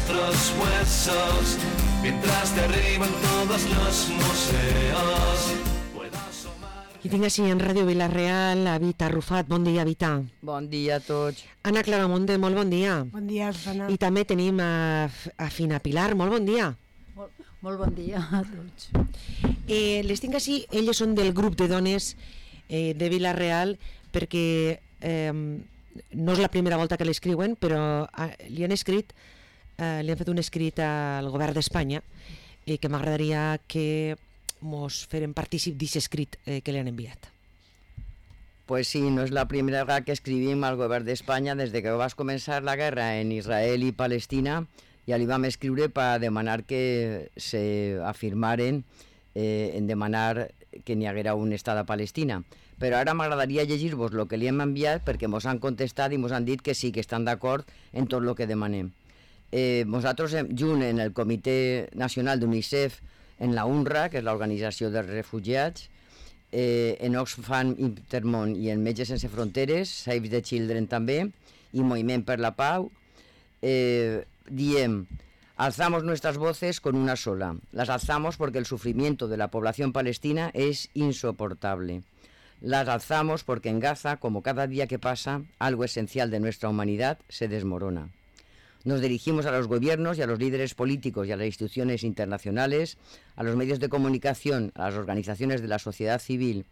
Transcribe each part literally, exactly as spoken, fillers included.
nuestros huesos, mientras derriban todos los museos. I tinc així en Ràdio Vila-real a Vita Arrufat. Bon dia, Vita. Bon dia a tots. Anna Claramonte, molt bon dia. Bon dia, Susana. I també tenim a, a Fina Pilar, molt bon dia. Molt, molt bon dia a tots. Eh, les tinc així, elles són del grup de dones eh, de Vila-real, perquè eh, no és la primera volta que l'escriuen, però eh, li han escrit, eh, li han fet un escrit al govern d'Espanya eh, que m'agradaria que mos feren partícip d'aquest escrit eh, que li han enviat. Pues sí, no és la primera vegada que escrivim al govern d'Espanya. Des de que va començar la guerra en Israel i Palestina, ja li vam escriure per demanar que se afirmaren eh, en demanar que n'hi haguera un estat a Palestina. Però ara m'agradaria llegir-vos el que li hem enviat, perquè mos han contestat i mos han dit que sí, que estan d'acord en tot el que demanem. Eh, nosaltres, junt en el Comitè Nacional d'UNICEF, en la UNRWA, que és l'Organització dels Refugiats, eh, en Oxfam Intermón i en Metges Sense Fronteres, Save the Children també, i Moviment per la Pau, eh, diem: alzamos nuestras voces con una sola. Las alzamos porque el sufrimiento de la población palestina es insoportable. Las alzamos porque en Gaza, como cada día que pasa, algo esencial de nuestra humanidad se desmorona. Nos dirigimos a los gobiernos y a los líderes políticos y a las instituciones internacionales, a los medios de comunicación, a las organizaciones de la sociedad civil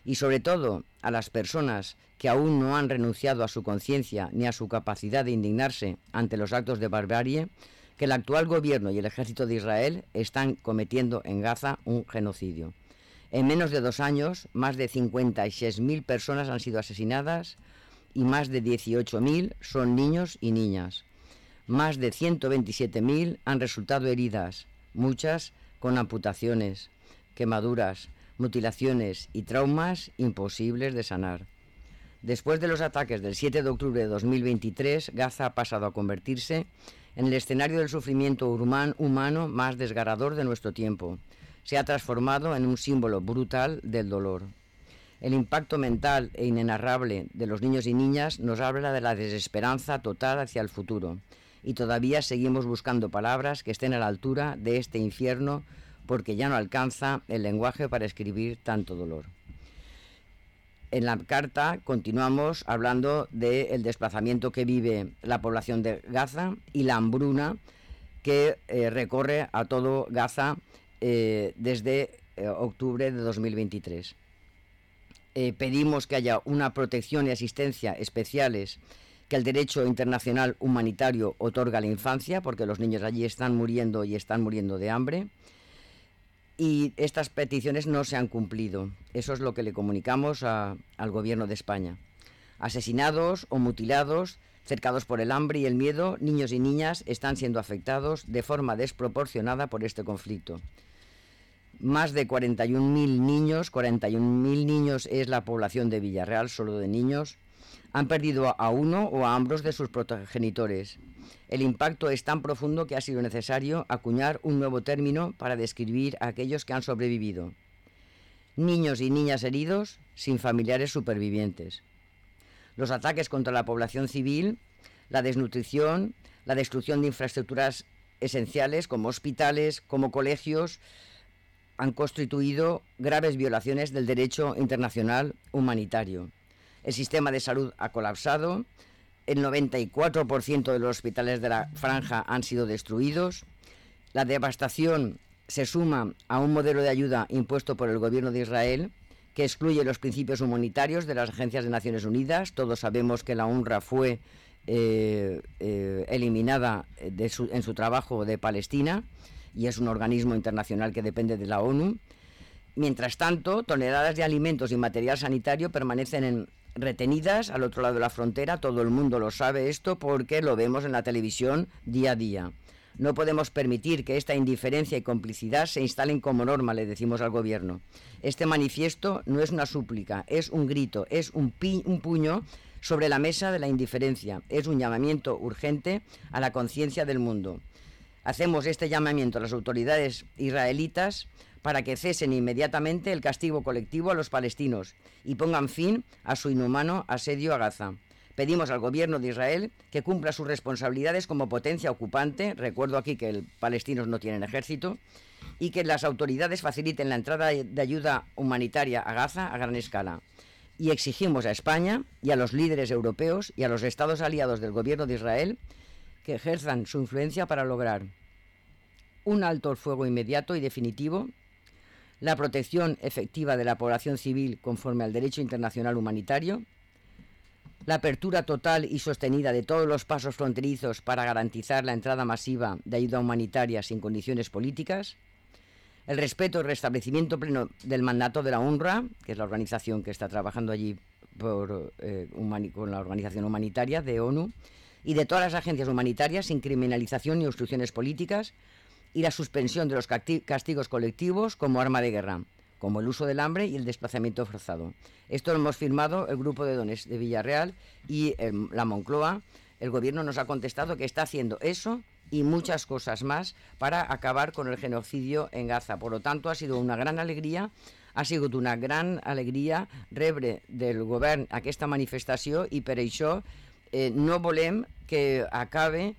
y sobre todo a las personas que aún no han renunciado a su conciencia ni a su capacidad de indignarse ante los actos de barbarie que el actual gobierno y el ejército de Israel están cometiendo en Gaza un genocidio. En menos de dos años, más de cincuenta y seis mil personas han sido asesinadas y más de dieciocho mil son niños y niñas. Más de ciento veintisiete mil han resultado heridas, muchas con amputaciones, quemaduras, mutilaciones y traumas imposibles de sanar. Después de los ataques del siete de octubre de dos mil veintitrés, Gaza ha pasado a convertirse en el escenario del sufrimiento humano más desgarrador de nuestro tiempo. Se ha transformado en un símbolo brutal del dolor. El impacto mental e inenarrable de los niños y niñas nos habla de la desesperanza total hacia el futuro. Y todavía seguimos buscando palabras que estén a la altura de este infierno, porque ya no alcanza el lenguaje para escribir tanto dolor. En la carta continuamos hablando del desplazamiento que vive la población de Gaza y la hambruna que eh, recorre a todo Gaza eh, desde eh, octubre de dos mil veintitrés. Eh, pedimos que haya una protección y asistencia especiales que el derecho internacional humanitario otorga a la infancia, porque los niños allí están muriendo y están muriendo de hambre, y estas peticiones no se han cumplido. Eso es lo que le comunicamos a, al gobierno de España. Asesinados o mutilados, cercados por el hambre y el miedo, niños y niñas están siendo afectados de forma desproporcionada por este conflicto. Más de cuarenta y un mil niños, cuarenta y un mil niños es la población de Villarreal, solo de niños, han perdido a uno o a ambos de sus progenitores. El impacto es tan profundo que ha sido necesario acuñar un nuevo término para describir a aquellos que han sobrevivido. Niños y niñas heridos sin familiares supervivientes. Los ataques contra la población civil, la desnutrición, la destrucción de infraestructuras esenciales como hospitales, como colegios, han constituido graves violaciones del derecho internacional humanitario. El sistema de salud ha colapsado, el noventa y cuatro por ciento de los hospitales de la franja han sido destruidos, la devastación se suma a un modelo de ayuda impuesto por el gobierno de Israel que excluye los principios humanitarios de las agencias de Naciones Unidas. Todos sabemos que la UNRWA fue eh, eh, eliminada de su, en su trabajo de Palestina y es un organismo internacional que depende de la ONU. Mientras tanto, toneladas de alimentos y material sanitario permanecen en retenidas al otro lado de la frontera. Todo el mundo lo sabe esto porque lo vemos en la televisión día a día. No podemos permitir que esta indiferencia y complicidad se instalen como norma, le decimos al gobierno. Este manifiesto no es una súplica, es un grito, es un, pi- un puño sobre la mesa de la indiferencia, es un llamamiento urgente a la conciencia del mundo. Hacemos este llamamiento a las autoridades israelitas para que cesen inmediatamente el castigo colectivo a los palestinos y pongan fin a su inhumano asedio a Gaza. Pedimos al gobierno de Israel que cumpla sus responsabilidades como potencia ocupante. Recuerdo aquí que los palestinos no tienen ejército. Y que las autoridades faciliten la entrada de ayuda humanitaria a Gaza a gran escala. Y exigimos a España y a los líderes europeos y a los estados aliados del gobierno de Israel que ejerzan su influencia para lograr un alto el fuego inmediato y definitivo, la protección efectiva de la población civil conforme al derecho internacional humanitario, la apertura total y sostenida de todos los pasos fronterizos para garantizar la entrada masiva de ayuda humanitaria sin condiciones políticas, el respeto y restablecimiento pleno del mandato de la UNRWA, que es la organización que está trabajando allí por, eh, humani- con la organización humanitaria de ONU, y de todas las agencias humanitarias sin criminalización ni obstrucciones políticas, y la suspensión de los castigos colectivos como arma de guerra, como el uso del hambre y el desplazamiento forzado. Esto lo hemos firmado el Grupo de Dones de Villarreal y eh, la Moncloa. El gobierno nos ha contestado que está haciendo eso y muchas cosas más para acabar con el genocidio en Gaza. Por lo tanto, ha sido una gran alegria, ha sigut una gran alegria rebre del govern aquesta manifestació i per això eh, no volem que acabe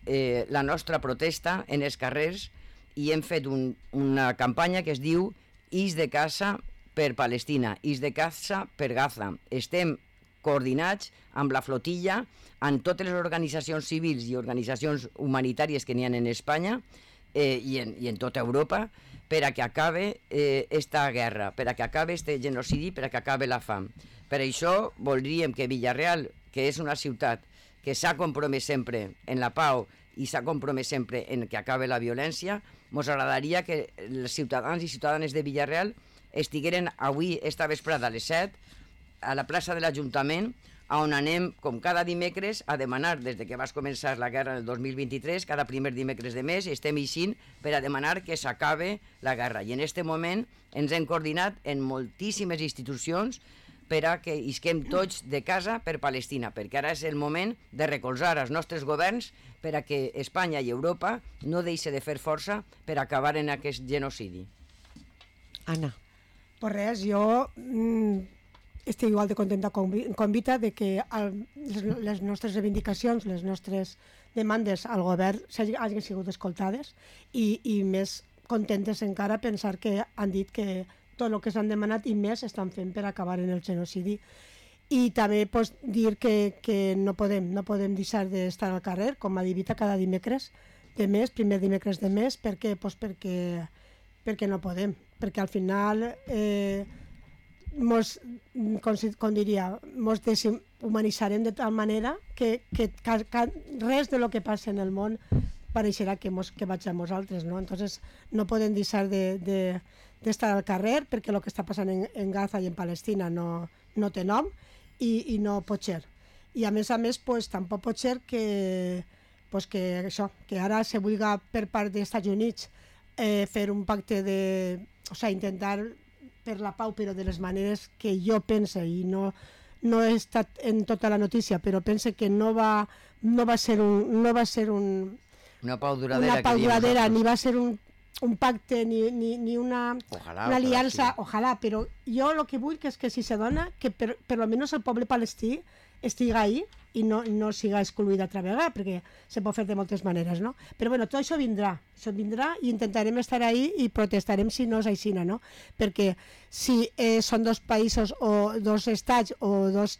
eh, la nostra protesta en els carrers i hem fet un, una campanya que es diu Is de casa per Palestina, Is de casa per Gaza. Estem coordinats amb la flotilla, amb totes les organitzacions civils i organitzacions humanitàries que n'hi ha en Espanya eh, i, en, i en tota Europa per a que acabe eh, esta guerra, per a que acabe este genocidi, per a que acabe la fam. Per això voldríem que Villarreal, que és una ciutat que s'ha compromès sempre en la pau i s'ha compromès sempre en que acabe la violència, ens agradaria que els ciutadans i ciutadanes de Villarreal estigueren avui, esta vesprada a les set, a la plaça de l'Ajuntament, on anem, com cada dimecres, a demanar, des de que va començar la guerra el dos mil vint-i-tres, cada primer dimecres de mes, estem eixint per a demanar que s'acabe la guerra. I en aquest moment ens hem coordinat en moltíssimes institucions per a que isquem tots de casa per Palestina, perquè ara és el moment de recolzar els nostres governs per a que Espanya i Europa no deixi de fer força per acabar en aquest genocidi. Anna. Pues res, jo mm, estic igual de contenta com, com Vita de que el, les, les nostres reivindicacions, les nostres demandes al govern hagin sigut escoltades i, i més contentes encara pensar que han dit que tot el que s'han demanat i més estan fent per acabar en el genocidi. I també pues, dir que, que no podem no podem deixar d'estar al carrer, com ha dit Vita, cada dimecres de mes, primer dimecres de mes, perquè, pues, perquè, perquè no podem, perquè al final eh, mos, com, com diria, mos deshumanitzarem de tal manera que, que ca, ca, res de lo que passa en el món pareixerà que, mos, que vaig a nosaltres, no? Entonces no podem deixar de, de, d'estar al carrer perquè el que està passant en, en Gaza i en Palestina no, no té nom i, i no pot ser. I a més a més, pues, tampoc pot ser que, pues, que, això, que ara se vulga per part dels Estats Units eh, fer un pacte de... O sigui, intentar per la pau, però de les maneres que jo pense, i no, no he estat en tota la notícia, però pense que no va, no va ser un... No va ser un una pau duradera, una pau duradera ni va ser un, un pacte ni, ni, ni una, ojalà, una aliança, sí. Ojalà, però jo el que vull que és que si se dona, que per, per almenys el poble palestí estiga ahí i no, no siga excluït altra vegada, perquè se pot fer de moltes maneres, no? Però bueno, tot això vindrà, això vindrà i intentarem estar ahí i protestarem si no és aixina, no? Perquè si eh, són dos països o dos estats o dos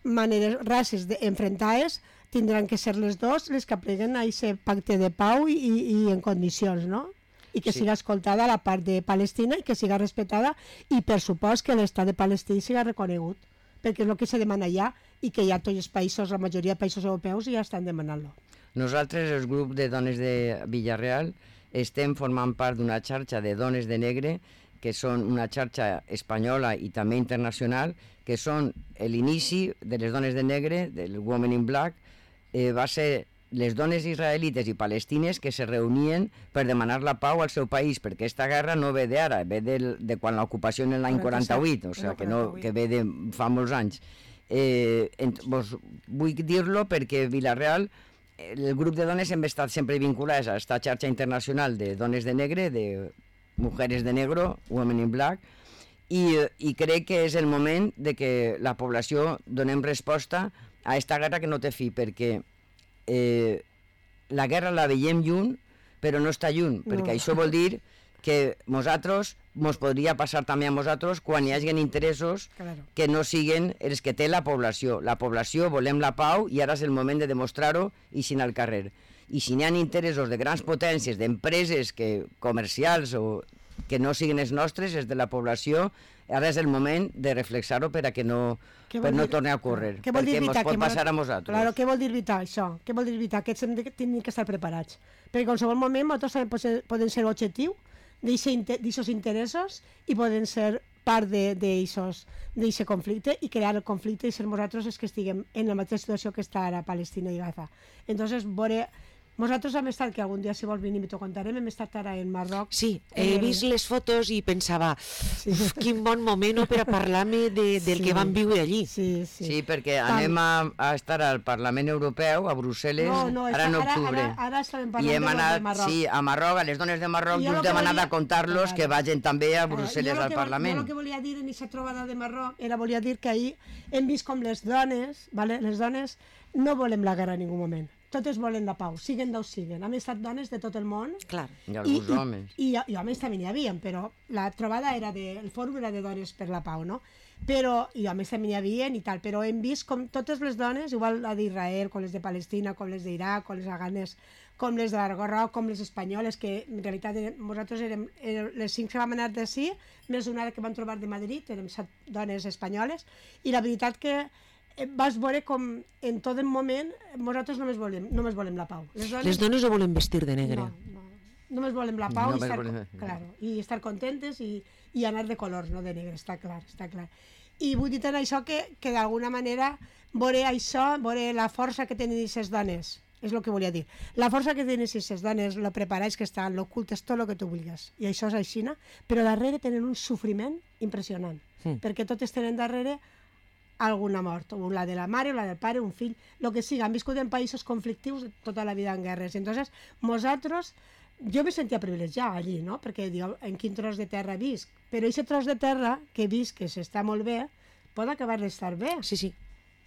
maneres, races enfrontades, tindran que ser les dos les que apleguen a aquest pacte de pau i, i, i en condicions, no? I que sí. Siga escoltada la part de Palestina i que siga respetada i per supost que l'estat de Palestina siga reconegut, perquè és el que se demana allà i que ja tots els països, la majoria de països europeus ja estan demanant-lo. Nosaltres, el grup de dones de Villarreal, estem formant part d'una xarxa de dones de negre que són una xarxa espanyola i també internacional, que són l'inici de les dones de negre, del Women in Black, eh, va ser les dones israelites i palestines que se reunien per demanar la pau al seu país, perquè aquesta guerra no ve d'ara, ve de, de quan l'ocupació en l'any quaranta-vuit, o sigui, que, no, que ve de fa molts anys. Eh, en, vos, vull dir-lo perquè Villarreal, el grup de dones hem estat sempre vinculats a aquesta xarxa internacional de dones de negre, de mujeres de negro, Women in Black, i, i crec que és el moment de que la població donem resposta a esta guerra que no té fi, perquè eh, la guerra la veiem lluny, però no està lluny, no. perquè això vol dir que nosaltres, mos podria passar també a nosaltres quan hi hagi interessos Claro. que no siguen els que té la població. La població volem la pau i ara és el moment de demostrar-ho i sin al carrer. I si n'hi ha interessos de grans potències, d'empreses que, comercials o que no siguin els nostres, els de la població, ara és el moment de reflexar-ho per a que no, per no torni a ocórrer, Què vol dir perquè ens evitar pot que passar mo- a nosaltres. Claro, què vol dir evitar això? Què vol dir evitar? Que hem de, tenim que estar preparats. Perquè en qualsevol moment nosaltres també poden, poden ser objectiu d'aixòs interessos i poden ser part d'aquest conflicte i crear el conflicte i ser nosaltres els que estiguem en la mateixa situació que està ara Palestina i Gaza. Entonces, veure... Nosaltres hem estat, que algun dia si vols venir i t'ho contarem, hem estat ara en Marroc. Sí, he el... vist les fotos i pensava, sí. uf, quin bon moment no, per a parlar-me de, del Sí. que van viure allí. Sí, sí. Sí, perquè Tam- anem a, a estar al Parlament Europeu, a Brussel·les, No, no, ara en està- ara- octubre. ara- ara estàvem I parlant hem de los de anat, Marroc. sí, a Marroc, a les dones de Marroc, I jo just lo que hem anat volia- a contar-los Claro. que vagin també a Claro, Brussel·les jo lo al que vol- Parlament. Jo el que volia dir en aquesta trobada de Marroc era volia dir que ahir hem vist com les dones, vale? les dones no volem la guerra en ningú moment. Totes volen la pau, siguen d'on siguen. Han estat dones de tot el món. Clar. I alguns homes. I, i, i homes també n'hi havia, però la trobada era de, el fòrum era de dones per la pau, no? Però, i homes també n'hi havia i tal, però hem vist com totes les dones, igual la d'Israel, com les de Palestina, com les d'Iraq, com les afganes, com les de l'Argorroc, com les espanyoles, que en realitat eren, nosaltres érem, érem les cinc que vam anar d'ací, més una que vam trobar de Madrid, érem set dones espanyoles, i la veritat que vas veure com en tot el moment nosaltres només volem, només volem la pau. Les dones, Les dones no volen vestir de negre. no, no. Només volem la pau i Només estar, volem- claro, i estar contentes i, i anar de colors, no de negre, està clar, està clar. I vull dir en això que, que d'alguna manera veure això, veure la força que tenen aquestes dones, és el que volia dir. La força que tenen aquestes dones, lo preparats que estan, l'ocultes, tot el que tu vulguis. I això és així, però darrere tenen un sofriment impressionant, Mm. perquè totes tenen darrere alguna mort, o la de la mare, o la del pare, un fill, el que sigui. Han viscut en països conflictius tota la vida en guerres. Entonces, nosaltres, jo me sentia privilegiada allí, no? Perquè diu, en quin tros de terra visc? Però aquest tros de terra que visc, que s'està molt bé, pot acabar d'estar bé. Sí, sí.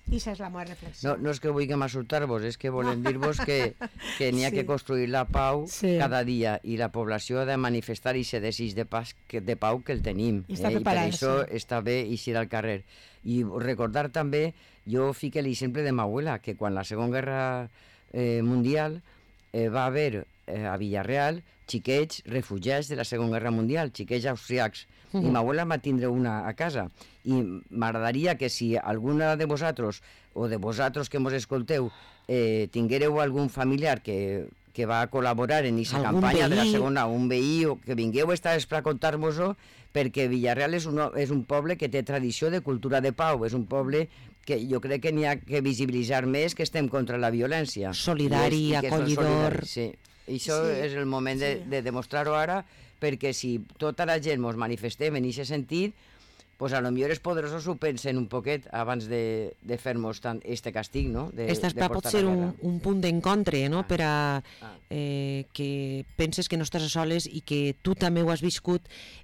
I això és la meva reflexió. No, no és que vulguem assustar-vos, és que volem dir-vos que, que n'hi ha Sí. que construir la pau Sí. cada dia i la població ha de manifestar aquest desig de, pas, que, de pau que el tenim. I està I per preparada, això sí. està bé eixir al carrer. I recordar també, jo fique l'exemple de ma abuela, que quan la Segona Guerra eh, Mundial eh, va haver eh, a Villarreal xiquets refugiats de la Segona Guerra Mundial, xiquets austriacs, Mhm. i ma abuela va tindre una a casa. I m'agradaria que si alguna de vosaltres o de vosaltres que mos escolteu eh, tinguéreu algun familiar que, que va col·laborar en aquesta Algun campanya de la veí. segona, un veí, o que vingueu esta vespre a contar-vos-ho, perquè Villarreal és un, és un poble que té tradició de cultura de pau, és un poble que jo crec que n'hi ha que visibilitzar més, que estem contra la violència. Solidari, I és- i que són acollidor. solidaris, sí. I això Sí, és el moment de, sí. de demostrar-ho ara, perquè si tota la gent ens manifestem en aquest sentit, pues a lo millor els poderosos ho pensen un poquet abans de, de fer-nos tant este castig, no? De, Esta de pot portar ser la un, guerra. un punt d'encontre, no? Ah. Per a Ah. eh, que penses que no estàs a soles i que tu també ho has viscut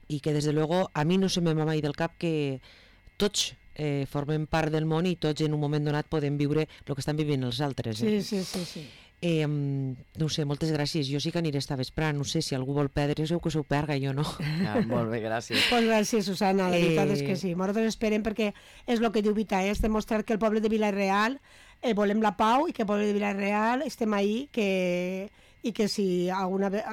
i que, des de luego, a mi no se me va mai del cap que tots eh, formem part del món i tots en un moment donat podem viure el que estan vivint els altres. Eh? Sí, sí, sí, sí. Eh, no ho sé, moltes gràcies. Jo sí que aniré esta vesprà, no sé si algú vol perdre-se o que s'ho perga, jo no. Ah, molt bé, gràcies. Pues gràcies, Susana, la veritat Eh, és que sí. Nosaltres esperem perquè és el que diu Vita, és demostrar que el poble de Vila-real eh, volem la pau i que el poble de Vila-real estem ahí que, i que si alguna ve-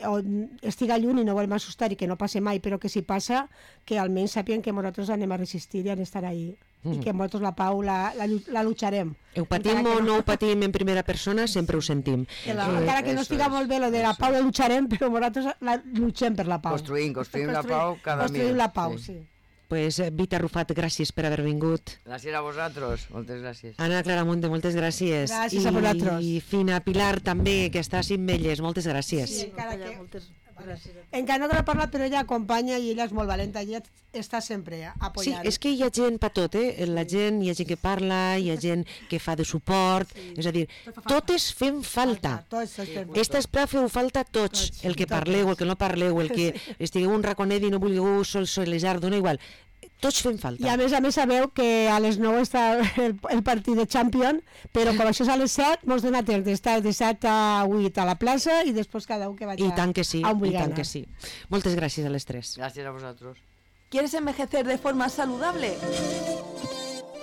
o estiga lluny i no volem assustar i que no passe mai, però que si passa, que almenys sàpien que nosaltres anem a resistir i a estar ahí. Mm. I que nosaltres la pau la, la, llu- la lucharem. Ho patim Encara o que no ho patim en primera persona, sempre ho sentim. Que la, Eh, encara que no eso estiga es, molt bé lo de la eso pau es. la lucharem, però nosaltres la luchem per la pau. Construïm, construïm la pau cada Construïm dia. la pau, Sí. sí. Pues, eh, Vita Rufat, gràcies per haver vingut. Gràcies a vosaltres, moltes gràcies. Anna Claramunde, moltes gràcies. Gràcies a vosaltres. I Fina Pilar també, que està a Cimbelles, moltes gràcies. Sí, encara que- Moltes gràcies. Encara no te l'he parlat, però ella acompanya i ella és molt valenta, ella està sempre Sí, apoyant. és que hi ha gent per tot, eh? La gent, hi ha gent que parla, hi ha gent que fa de suport, sí. És a dir, Tot fa falta. totes fem falta. Tots, tots fem. Esta esprà feu falta tots, Tots, el que totes. parleu, el que no parleu, el que estigueu un raconet i no vulgueu sol solejar, dona igual. Tots fem falta. I a més a més sabeu que a les nou està el, el partit de Champions, però com això és a les set, mos dona temps d'estar de set a vuit a la plaça i després cada un que vagi I tant que sí, a un i tant anar. que sí. Moltes gràcies a les tres. Gràcies a vosaltres. ¿Quieres envejecer de forma saludable?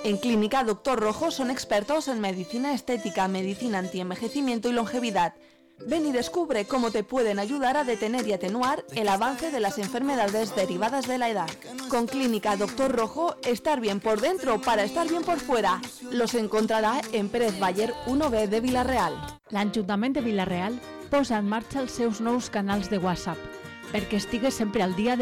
En Clínica Doctor Rojo son expertos en medicina estética, medicina antienvejecimiento y longevidad. Ven y descubre cómo te pueden ayudar a detener y atenuar el avance de las enfermedades derivadas de la edad. Con Clínica Doctor Rojo, estar bien por dentro para estar bien por fuera. Los encontrará en Pérez Baller uno B de Vila-real. L'Ajuntament de Vila-real posa en marxa els seus nous canals de WhatsApp perquè estigues sempre al dia de